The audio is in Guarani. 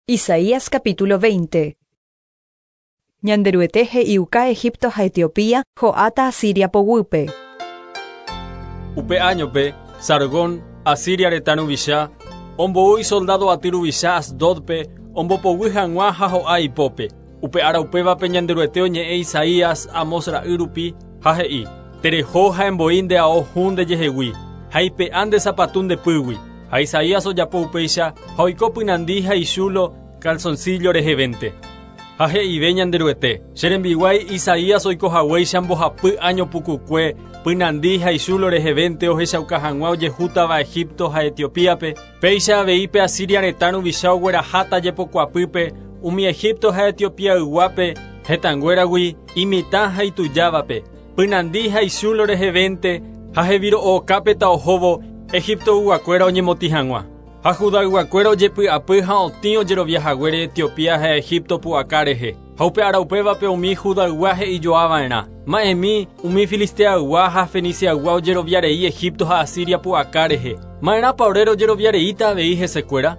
Isaías capítulo 20. Ñanderuete he'iuka Egipto ha Etiopía ho'áta Asiria poguýpe. Upe áñope, Sargón, Asiria retã ruvicha, ombou isoldádo aty ruvicha Asdódpe ombopoguy hag̃ua ha ho'a ipópe. Upe ára upévape Ñanderuete oñe'ẽ Isaías, Amós ra'y rupi, ha he'i, Tereho ha emboi nde ao hũ ndejehegui, ha eipe'a nde sapatu nde pýgui. Ha Isaías ojapo upéicha ha oiko pynandi ha ichúlo calzoncillo rehevénte. Ha he'ive Ñanderuete, Che rembiguái Isaías oiko haguéicha mbohapy áño pukukue pynandi ha ichúlo rehevénte ohechauka hag̃ua ojehútava Egipto ha Etiopíape, péicha avei pe Asiria retã ruvicha ogueraháta jepokuapýpe umi Egipto ha Etiopiayguápe hetãnguéragui imitã ha itujávape, Pynandi ha ichúlo rehevénte ha heviro'okápeta ohóvo Egiptoyguakuéra oñemotĩ hag̃ua. Ha Judayguakuéra ojepy'apy ha otĩ ojerovia haguére Etiopía ha Egipto pu'aka rehe. Ha upe ára upévape umi Judaygua he'ijoa va'erã, Ma'ẽmi, umi Filisteaygua ha Feniciaygua ojerovia rei Egipto ha Asiria pu'aka rehe. Ma'erãpa ore rojerovia reíta avei hesekuéra?